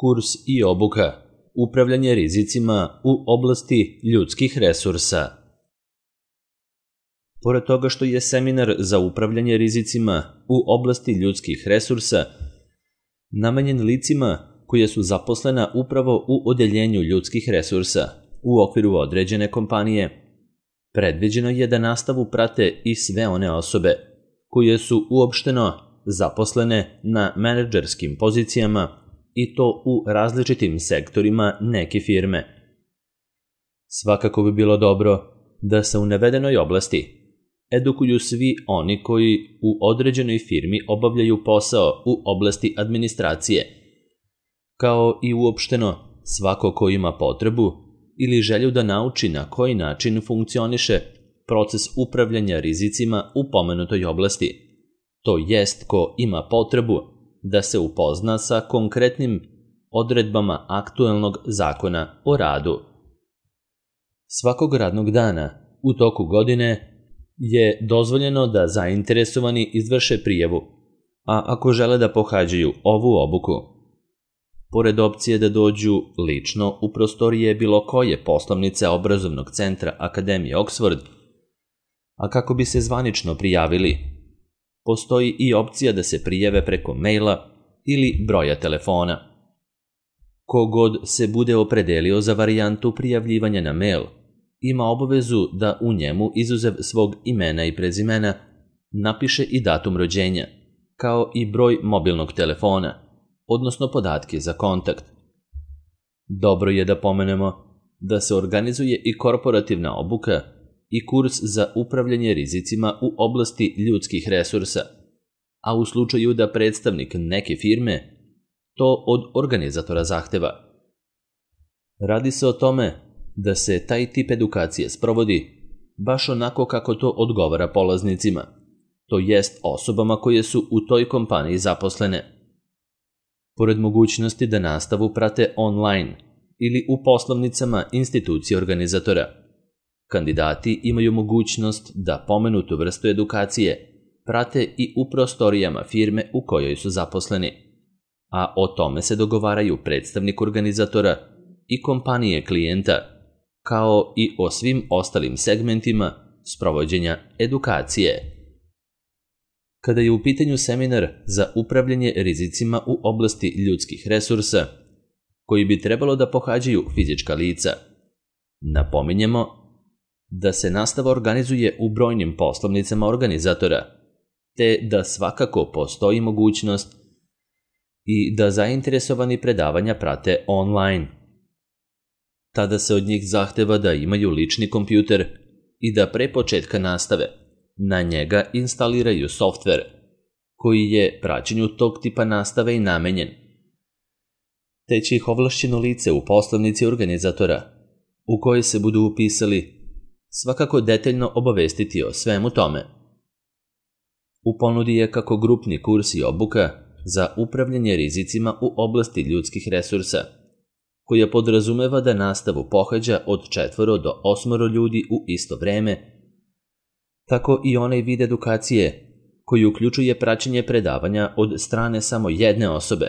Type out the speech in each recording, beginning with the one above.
Kurs i obuka Upravljanje rizicima u oblasti ljudskih resursa. Pored toga što je seminar za upravljanje rizicima u oblasti ljudskih resursa namenjen licima koje su zaposlena upravo u odeljenju ljudskih resursa u okviru određene kompanije, predviđeno je da nastavu prate i sve one osobe koje su uopšteno zaposlene na menadžerskim pozicijama i to u različitim sektorima neke firme. Svakako bi bilo dobro da se u navedenoj oblasti edukuju svi oni koji u određenoj firmi obavljaju posao u oblasti administracije, kao i uopšteno svako ko ima potrebu ili želju da nauči na koji način funkcioniše proces upravljanja rizicima u pomenutoj oblasti, to jest ko ima potrebu da se upozna sa konkretnim odredbama aktuelnog zakona o radu. Svakog radnog dana u toku godine je dozvoljeno da zainteresovani izvrše prijavu, a ako žele da pohađaju ovu obuku, pored opcije da dođu lično u prostorije bilo koje poslovnice obrazovnog centra Akademije Oxford, a kako bi se zvanično prijavili, postoji i opcija da se prijave preko maila ili broja telefona. Kogod se bude opredelio za varijantu prijavljivanja na mail, ima obavezu da u njemu, izuzev svog imena i prezimena, napiše i datum rođenja, kao i broj mobilnog telefona, odnosno podatke za kontakt. Dobro je da pomenemo da se organizuje i korporativna obuka i kurs za upravljanje rizicima u oblasti ljudskih resursa, a u slučaju da predstavnik neke firme to od organizatora zahteva. Radi se o tome da se taj tip edukacije sprovodi baš onako kako to odgovara polaznicima, to jest osobama koje su u toj kompaniji zaposlene. Pored mogućnosti da nastavu prate online ili u poslovnicama institucije organizatora, kandidati imaju mogućnost da pomenutu vrstu edukacije prate i u prostorijama firme u kojoj su zaposleni, a o tome se dogovaraju predstavnik organizatora i kompanije klijenta, kao i o svim ostalim segmentima sprovođenja edukacije. Kada je u pitanju seminar za upravljanje rizicima u oblasti ljudskih resursa, koji bi trebalo da pohađaju fizička lica, napominjemo da se nastava organizuje u brojnim poslovnicama organizatora, te da svakako postoji mogućnost i da zainteresovani predavanja prate online. Tada se od njih zahteva da imaju lični kompjuter i da pre početka nastave na njega instaliraju softver koji je praćenju tog tipa nastave i namenjen, te će ih ovlašćeno lice u poslovnici organizatora u kojoj se budu upisali svakako detaljno obavestiti o svemu tome. U ponudi je kako grupni kurs i obuka za upravljanje rizicima u oblasti ljudskih resursa, koja podrazumeva da nastavu pohađa od 4 do 8 ljudi u isto vreme, tako i onaj vid edukacije koji uključuje praćenje predavanja od strane samo jedne osobe,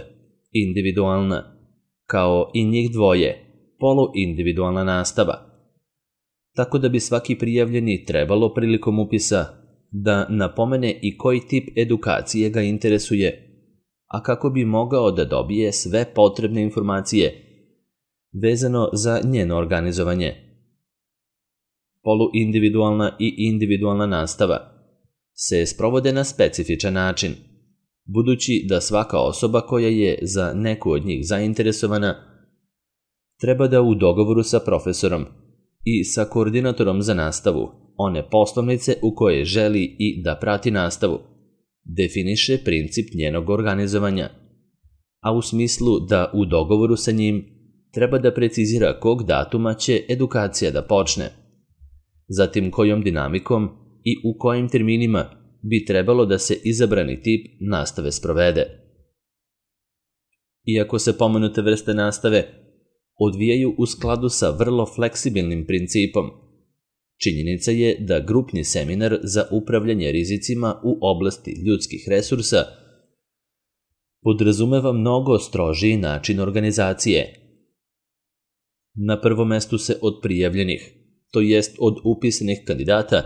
individualna, kao i njih dvoje, poluindividualna nastava. Tako da bi svaki prijavljeni trebalo prilikom upisa da napomene i koji tip edukacije ga interesuje, a kako bi mogao da dobije sve potrebne informacije vezano za njeno organizovanje. Poluindividualna i individualna nastava se sprovode na specifičan način, budući da svaka osoba koja je za neku od njih zainteresovana treba da u dogovoru sa profesorom i sa koordinatorom za nastavu one poslovnice u koje želi i da prati nastavu definiše princip njenog organizovanja, a u smislu da u dogovoru sa njim treba da precizira kog datuma će edukacija da počne, zatim kojom dinamikom i u kojim terminima bi trebalo da se izabrani tip nastave sprovede. Iako se pomenute vrste nastave odvijaju u skladu sa vrlo fleksibilnim principom, činjenica je da grupni seminar za upravljanje rizicima u oblasti ljudskih resursa podrazumeva mnogo strožiji način organizacije. Na prvom mestu se od prijavljenih, to jest od upisanih kandidata,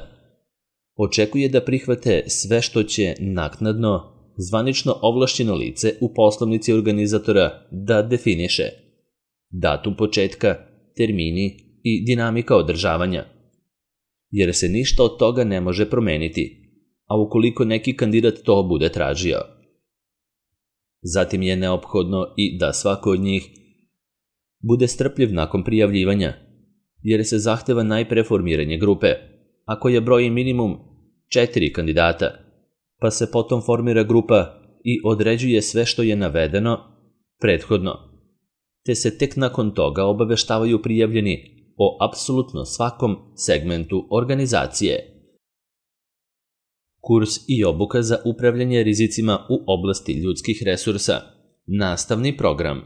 očekuje da prihvate sve što će naknadno zvanično ovlašćeno lice u poslovnici organizatora da definiše: datum početka, termini i dinamika održavanja, jer se ništa od toga ne može promeniti, a ukoliko neki kandidat to bude tražio. Zatim je neophodno i da svako od njih bude strpljiv nakon prijavljivanja, jer se zahteva najpre formiranje grupe, ako je broj minimum 4 kandidata, pa se potom formira grupa i određuje sve što je navedeno prethodno, te se tek nakon toga obaveštavaju prijavljeni o apsolutno svakom segmentu organizacije. Kurs i obuka za upravljanje rizicima u oblasti ljudskih resursa. Nastavni program.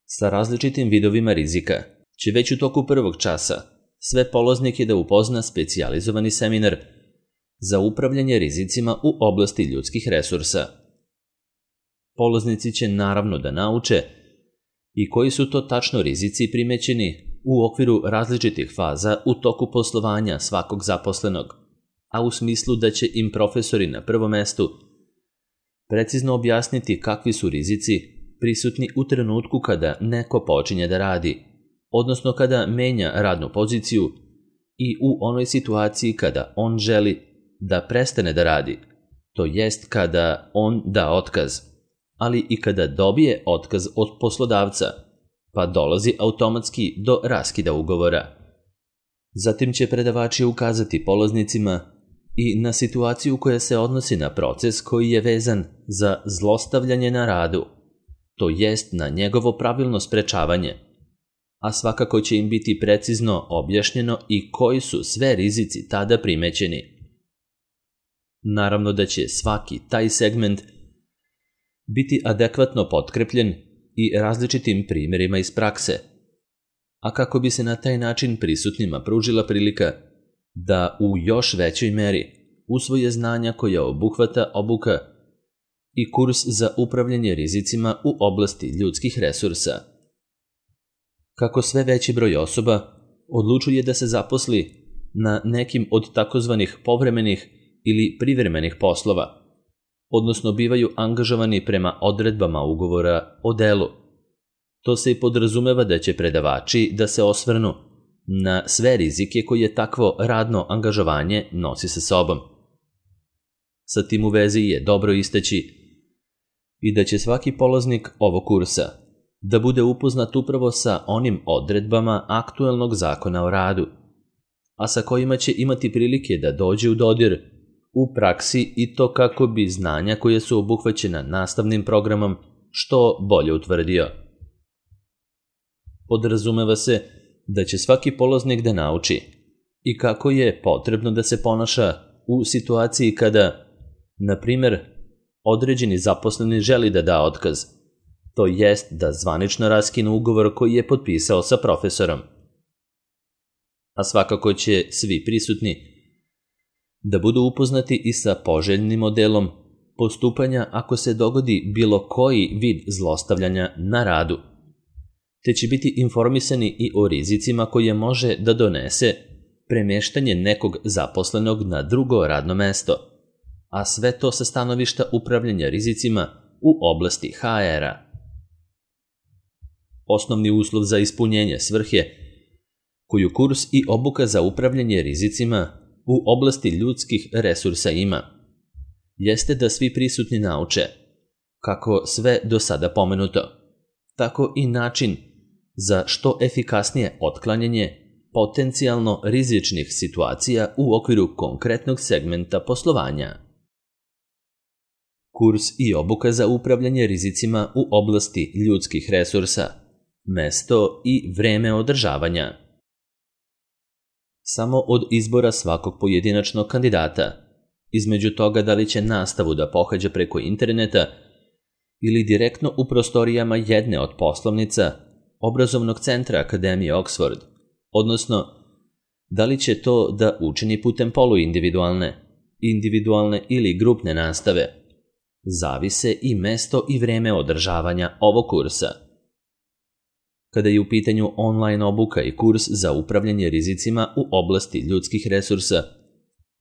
Sa različitim vidovima rizika će već u toku prvog časa sve polaznike da upozna specijalizovani seminar za upravljanje rizicima u oblasti ljudskih resursa. Polaznici će naravno da nauče i koji su to tačno rizici primećeni u okviru različitih faza u toku poslovanja svakog zaposlenog, a u smislu da će im profesori na prvom mestu precizno objasniti kakvi su rizici prisutni u trenutku kada neko počinje da radi, odnosno kada menja radnu poziciju i u onoj situaciji kada on želi da prestane da radi, to jest kada on da otkaz, ali i kada dobije otkaz od poslodavca, pa dolazi automatski do raskida ugovora. Zatim će predavači ukazati polaznicima i na situaciju koja se odnosi na proces koji je vezan za zlostavljanje na radu, to jest na njegovo pravilno sprečavanje, a svakako će im biti precizno objašnjeno i koji su sve rizici tada primećeni. Naravno da će svaki taj segment biti adekvatno potkrepljen i različitim primjerima iz prakse, a kako bi se na taj način prisutnima pružila prilika da u još većoj meri usvoje znanja koja obuhvata obuka i kurs za upravljanje rizicima u oblasti ljudskih resursa. Kako sve veći broj osoba odlučuje da se zaposli na nekim od takozvanih povremenih ili privremenih poslova, odnosno bivaju angažovani prema odredbama ugovora o delu. To se i podrazumeva da će predavači da se osvrnu na sve rizike koje takvo radno angažovanje nosi sa sobom. Sa tim u vezi je dobro istaći i da će svaki polaznik ovog kursa da bude upoznat upravo sa onim odredbama aktuelnog zakona o radu, a sa kojima će imati prilike da dođe u dodir u praksi i to kako bi znanja koje su obuhvaćena nastavnim programom što bolje utvrdio. Podrazumeva se da će svaki polaznik da nauči i kako je potrebno da se ponaša u situaciji kada, na primjer, određeni zaposleni želi da da otkaz, to jest da zvanično raskine ugovor koji je potpisao sa profesorom. A svakako će svi prisutni da budu upoznati i sa poželjnim modelom postupanja ako se dogodi bilo koji vid zlostavljanja na radu, te će biti informisani i o rizicima koje može da donese premeštanje nekog zaposlenog na drugo radno mesto, a sve to sa stanovišta upravljanja rizicima u oblasti HR-a. Osnovni uslov za ispunjenje svrhe koju kurs i obuka za upravljanje rizicima u oblasti ljudskih resursa ima, jeste da svi prisutni nauče kako sve do sada pomenuto, tako i način za što efikasnije otklanjanje potencijalno rizičnih situacija u okviru konkretnog segmenta poslovanja. Kurs i obuka za upravljanje rizicima u oblasti ljudskih resursa, mesto i vreme održavanja. Samo od izbora svakog pojedinačnog kandidata, između toga da li će nastavu da pohađa preko interneta ili direktno u prostorijama jedne od poslovnica obrazovnog centra Akademije Oxford, odnosno da li će to da učini putem poluindividualne, individualne ili grupne nastave, zavise i mesto i vreme održavanja ovog kursa. Kada je u pitanju online obuka i kurs za upravljanje rizicima u oblasti ljudskih resursa,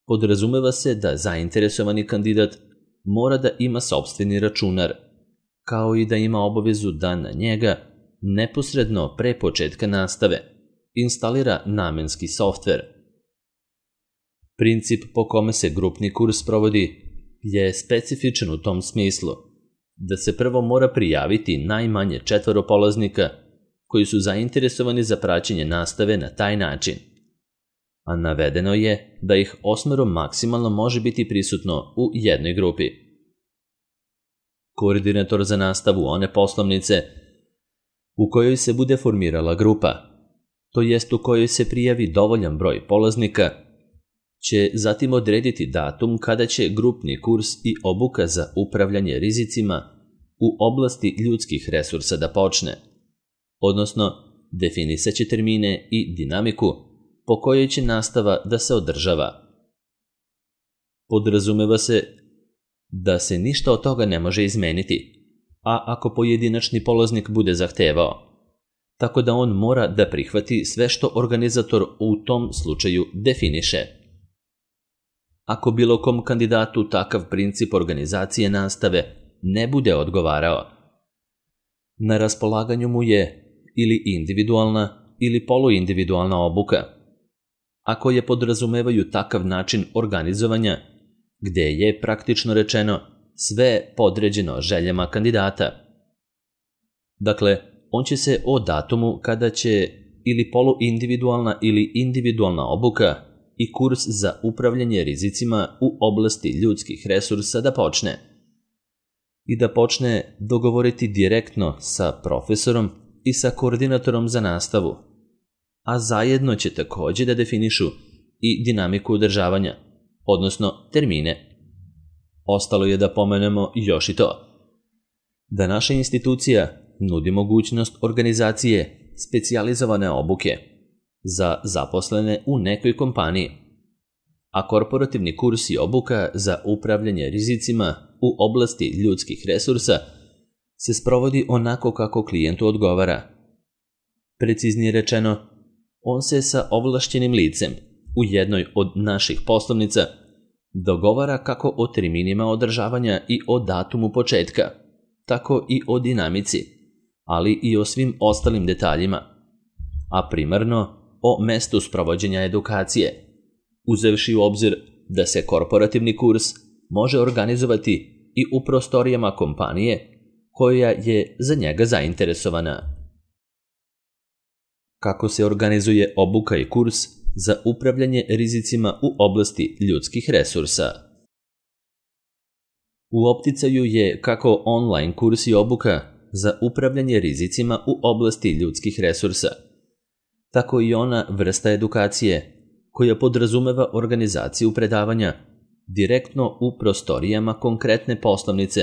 podrazumeva se da zainteresovani kandidat mora da ima sopstveni računar, kao i da ima obavezu da na njega, neposredno pre početka nastave, instalira namenski softver. Princip po kome se grupni kurs provodi je specifičan u tom smislu, da se prvo mora prijaviti najmanje 4 polaznika koji su zainteresovani za praćenje nastave na taj način, a navedeno je da ih 8 maksimalno može biti prisutno u jednoj grupi. Koordinator za nastavu one poslovnice u kojoj se bude formirala grupa, to jest u kojoj se prijavi dovoljan broj polaznika, će zatim odrediti datum kada će grupni kurs i obuka za upravljanje rizicima u oblasti ljudskih resursa da počne, odnosno definisaće termine i dinamiku po kojoj će nastava da se održava. Podrazumeva se da se ništa od toga ne može izmeniti, a ako pojedinačni polaznik bude zahtevao, tako da on mora da prihvati sve što organizator u tom slučaju definiše. Ako bilo kom kandidatu takav princip organizacije nastave ne bude odgovarao, na raspolaganju mu je ili individualna ili poluindividualna obuka, a koje podrazumevaju takav način organizovanja gde je praktično rečeno sve podređeno željama kandidata. Dakle, on će se o datumu kada će ili poluindividualna ili individualna obuka i kurs za upravljanje rizicima u oblasti ljudskih resursa da počne. I da počne dogovoriti direktno sa profesorom i sa koordinatorom za nastavu, a zajedno će takođe da definišu i dinamiku održavanja, odnosno termine. Ostalo je da pomenemo još i to, da naša institucija nudi mogućnost organizacije specijalizovane obuke za zaposlene u nekoj kompaniji, a korporativni kurs i obuka za upravljanje rizicima u oblasti ljudskih resursa se sprovodi onako kako klijentu odgovara. Preciznije rečeno, on se sa ovlašćenim licem u jednoj od naših poslovnica dogovara kako o terminima održavanja i o datumu početka, tako i o dinamici, ali i o svim ostalim detaljima, a primarno o mestu sprovođenja edukacije, uzevši u obzir da se korporativni kurs može organizovati i u prostorijama kompanije koja je za njega zainteresovana. Kako se organizuje obuka i kurs za upravljanje rizicima u oblasti ljudskih resursa? U opticaju je kako online kurs i obuka za upravljanje rizicima u oblasti ljudskih resursa, tako i ona vrsta edukacije koja podrazumeva organizaciju predavanja direktno u prostorijama konkretne poslovnice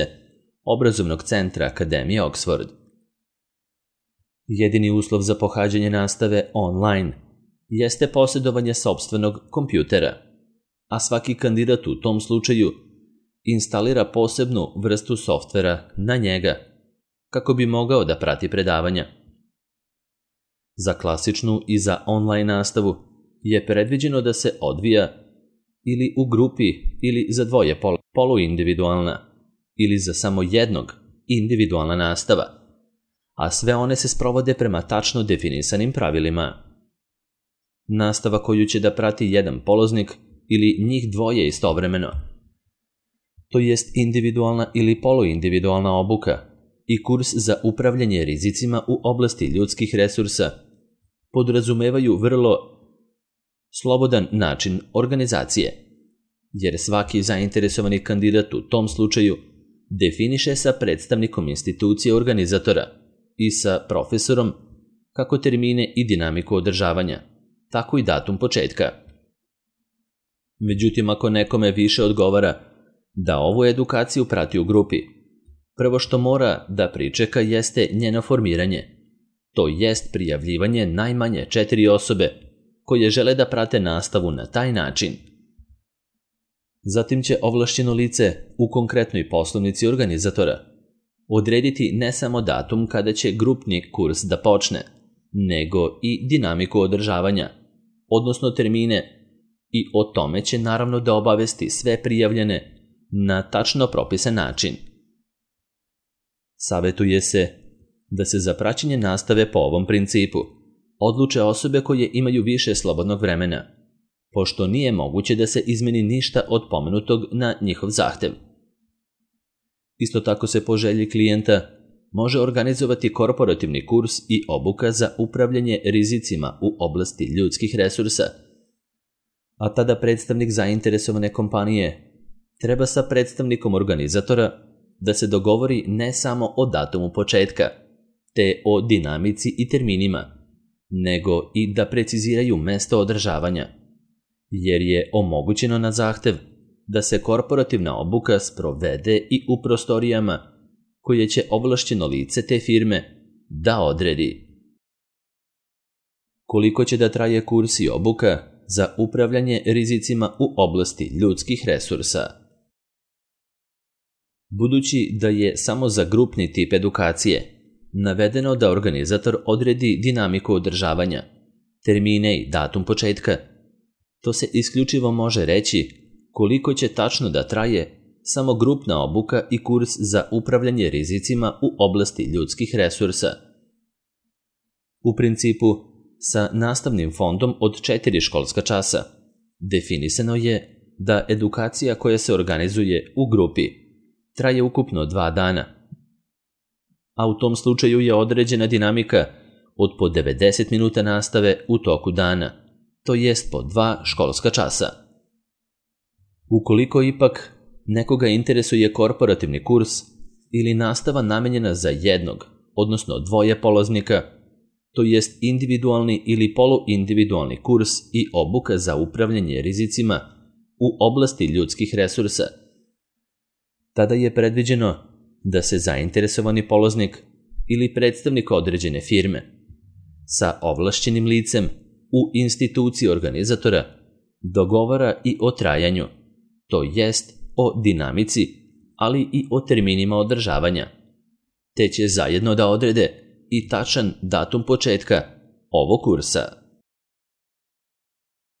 obrazovnog centra Akademije Oxford. Jedini uslov za pohađanje nastave online jeste posjedovanje sopstvenog kompjutera, a svaki kandidat u tom slučaju instalira posebnu vrstu softvera na njega kako bi mogao da prati predavanja. Za klasičnu i za online nastavu je predviđeno da se odvija ili u grupi ili za dvoje poluindividualna ili za samo jednog individualna nastava, a sve one se sprovode prema tačno definisanim pravilima. Nastava koju će da prati jedan polaznik ili njih dvoje istovremeno, to jest individualna ili poluindividualna obuka i kurs za upravljanje rizicima u oblasti ljudskih resursa, podrazumevaju vrlo slobodan način organizacije, jer svaki zainteresovani kandidat u tom slučaju definiše sa predstavnikom institucije organizatora i sa profesorom kako termine i dinamiku održavanja, tako i datum početka. Međutim, ako nekome više odgovara da ovu edukaciju prati u grupi, prvo što mora da pričeka jeste njeno formiranje, to jest prijavljivanje najmanje 4 osobe koje žele da prate nastavu na taj način. Zatim će ovlašćeno lice u konkretnoj poslovnici organizatora odrediti ne samo datum kada će grupni kurs da počne, nego i dinamiku održavanja, odnosno termine, i o tome će naravno da obavesti sve prijavljene na tačno propisan način. Savetuje se da se za praćenje nastave po ovom principu odluče osobe koje imaju više slobodnog vremena, pošto nije moguće da se izmeni ništa od pomenutog na njihov zahtev. Isto tako se po želji klijenta može organizovati korporativni kurs i obuka za upravljanje rizicima u oblasti ljudskih resursa, a tada predstavnik zainteresovane kompanije treba sa predstavnikom organizatora da se dogovori ne samo o datumu početka, te o dinamici i terminima, nego i da preciziraju mesto održavanja, jer je omogućeno na zahtev da se korporativna obuka sprovede i u prostorijama koje će ovlašćeno lice te firme da odredi. Koliko će da traje kurs i obuka za upravljanje rizicima u oblasti ljudskih resursa? Budući da je samo za grupni tip edukacije navedeno da organizator odredi dinamiku održavanja, termine i datum početka, to se isključivo može reći koliko će tačno da traje samo grupna obuka i kurs za upravljanje rizicima u oblasti ljudskih resursa. U principu, sa nastavnim fondom od 4 školska časa definisano je da edukacija koja se organizuje u grupi traje ukupno 2 dana, a u tom slučaju je određena dinamika od po 90 minuta nastave u toku dana, to jest po 2 školska časa. Ukoliko ipak nekoga interesuje korporativni kurs ili nastava namenjena za jednog, odnosno 2 polaznika, to jest individualni ili poluindividualni kurs i obuka za upravljanje rizicima u oblasti ljudskih resursa, tada je predviđeno da se zainteresovani polaznik ili predstavnik određene firme sa ovlašćenim licem u instituciji organizatora dogovara i o trajanju, to jest o dinamici, ali i o terminima održavanja, te će zajedno da odrede i tačan datum početka ovog kursa.